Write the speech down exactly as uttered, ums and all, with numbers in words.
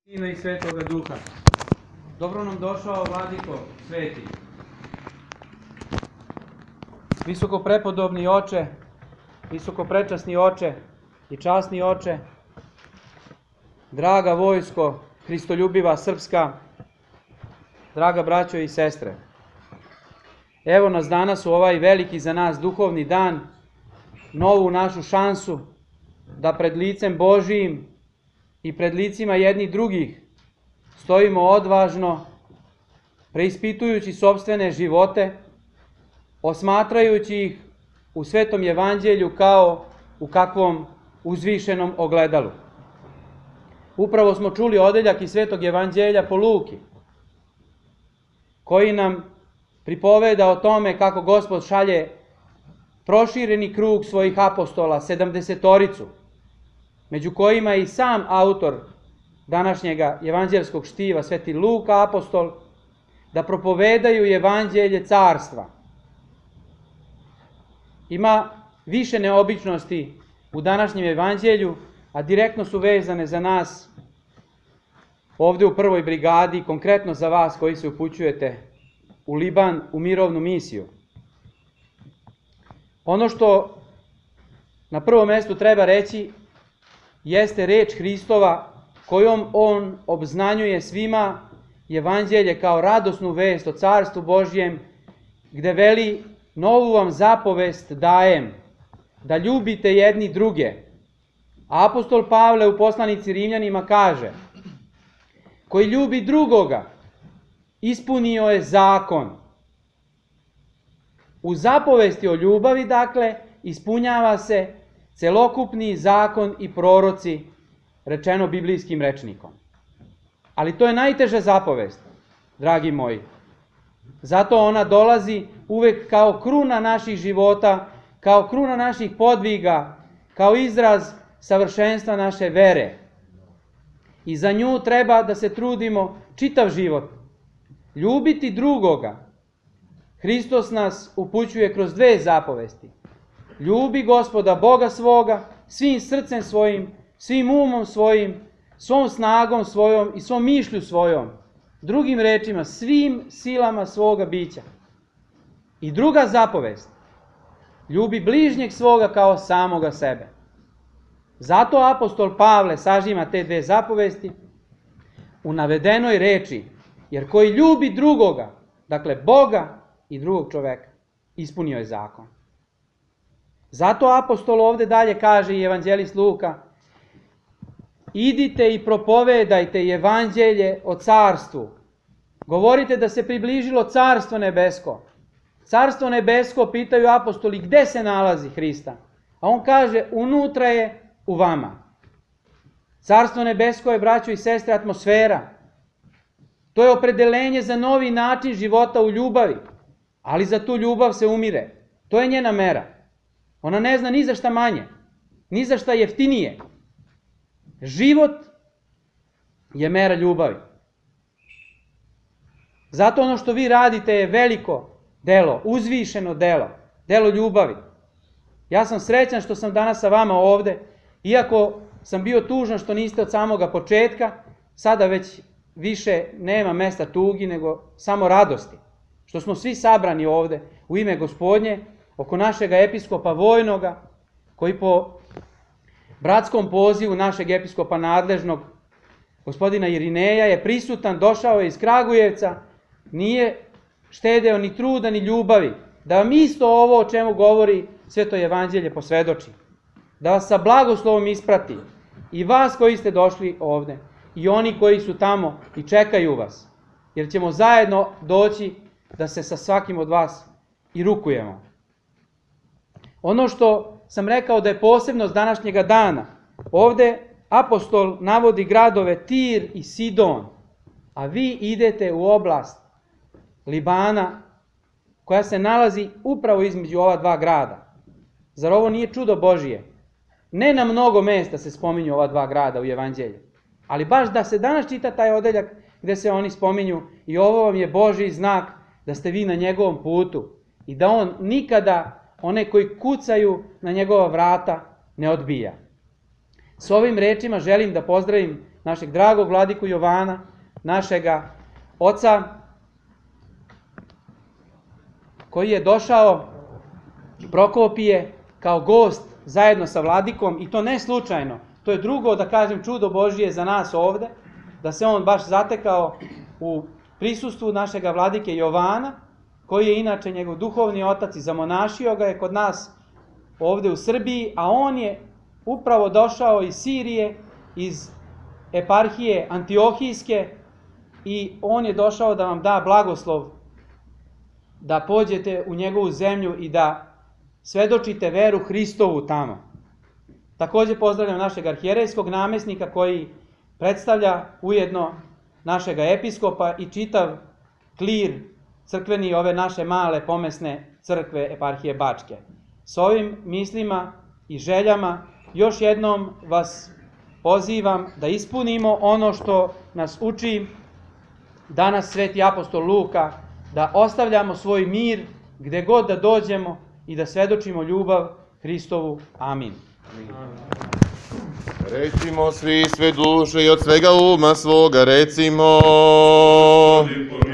Sina i Svetoga Duha. Dobro nam došao, Vladiko Sveti. Visoko prepodobni oče, visoko prečasni oče i časni oče, draga vojsko, hristoljubiva srpska, draga braćo i sestre. Evo nas danas u ovaj veliki za nas duhovni dan, novu našu šansu da pred licem Božijim i pred licima jednih drugih stojimo odvažno, preispitujući sopstvene živote, osmatrajući ih u Svetom Evanđelju kao u kakvom uzvišenom ogledalu. Upravo smo čuli odeljak iz Svetog Evanđelja po Luki, koji nam pripoveda o tome kako Gospod šalje prošireni krug svojih apostola, sedamdesetoricu, među kojima je i sam autor današnjega evanđelskog štiva, Sveti Luka apostol, da propovedaju evanđelje carstva. Ima više neobičnosti u današnjem evanđelju, a direktno su vezane za nas ovde u prvoj brigadi, konkretno za vas koji se upućujete u Liban, u mirovnu misiju. Ono što na prvom mjestu treba reći jeste reč Hristova kojom on obznanjuje svima evanđelje kao radosnu vest o carstvu Božjem, gde veli: novu vam zapovest dajem, da ljubite jedni druge. A apostol Pavle u poslanici Rimljanima kaže: koji ljubi drugoga, ispunio je zakon. U zapovesti o ljubavi, dakle, ispunjava se celokupni zakon i proroci, rečeno biblijskim rečnikom. Ali to je najteža zapovest, dragi moji. Zato ona dolazi uvek kao kruna naših života, kao kruna naših podviga, kao izraz savršenstva naše vere. I za nju treba da se trudimo čitav život. Ljubiti drugoga. Hristos nas upućuje kroz dve zapovesti. Ljubi Gospoda Boga svoga, svim srcem svojim, svim umom svojim, svom snagom svojom i svom mišlju svojom. Drugim rečima, svim silama svoga bića. I druga zapovest. Ljubi bližnjeg svoga kao samoga sebe. Zato apostol Pavle sažima te dve zapovesti u navedenoj reči, jer koji ljubi drugoga, dakle Boga i drugog čoveka, ispunio je zakon. Zato apostol ovde dalje kaže i evanđelist Luka: idite i propovedajte evanđelje o carstvu. Govorite da se približilo carstvo nebesko. Carstvo nebesko, pitaju apostoli, gde se nalazi Hrista? A on kaže, unutra je u vama. Carstvo nebesko je, braćo i sestre, atmosfera. To je opredelenje za novi način života u ljubavi, ali za tu ljubav se umire. To je njena mera. Ona ne zna ni za šta manje, ni za šta jeftinije. Život je mera ljubavi. Zato ono što vi radite je veliko delo, uzvišeno delo, delo ljubavi. Ja sam srećan što sam danas sa vama ovde, iako sam bio tužan što niste od samoga početka, sada već više nema mesta tugi, nego samo radosti. Što smo svi sabrani ovde u ime Gospodnje, oko našega episkopa vojnoga, koji po bratskom pozivu našeg episkopa nadležnog, gospodina Irineja, je prisutan, došao je iz Kragujevca, nije štedeo ni truda ni ljubavi, da vam isto ovo o čemu govori Sveto Evanđelje posvedoči, da vas sa blagoslovom isprati, i vas koji ste došli ovde, i oni koji su tamo i čekaju vas, jer ćemo zajedno doći da se sa svakim od vas i rukujemo. Ono što sam rekao da je posebnost današnjega dana, ovde apostol navodi gradove Tir i Sidon, a vi idete u oblast Libana, koja se nalazi upravo između ova dva grada. Zar ovo nije čudo Božije? Ne na mnogo mesta se spominju ova dva grada u Evanđelju, ali baš da se danas čita taj odeljak gde se oni spominju, i ovo vam je Božji znak da ste vi na njegovom putu i da on nikada one koji kucaju na njegova vrata ne odbija. S ovim rečima želim da pozdravim našeg dragog vladiku Jovana, našega oca, koji je došao Prokopije kao gost zajedno sa vladikom, i to ne slučajno. To je drugo, da kažem, čudo Božije za nas ovde, da se on baš zatekao u prisustvu našega vladike Jovana, koji je inače njegov duhovni otac i zamonašio ga je kod nas ovde u Srbiji, a on je upravo došao iz Sirije, iz eparhije Antiohijske, i on je došao da vam da blagoslov da pođete u njegovu zemlju i da svedočite veru Hristovu tamo. Takođe pozdravljam našeg arhijerejskog namesnika koji predstavlja ujedno našega episkopa i čitav klir crkveni ove naše male pomesne crkve eparhije Bačke. S ovim mislima i željama još jednom vas pozivam da ispunimo ono što nas uči danas sveti apostol Luka, da ostavljamo svoj mir gde god da dođemo i da svedočimo ljubav Hristovu. Amin. Recimo svi sve duše i od svega uma svoga recimo.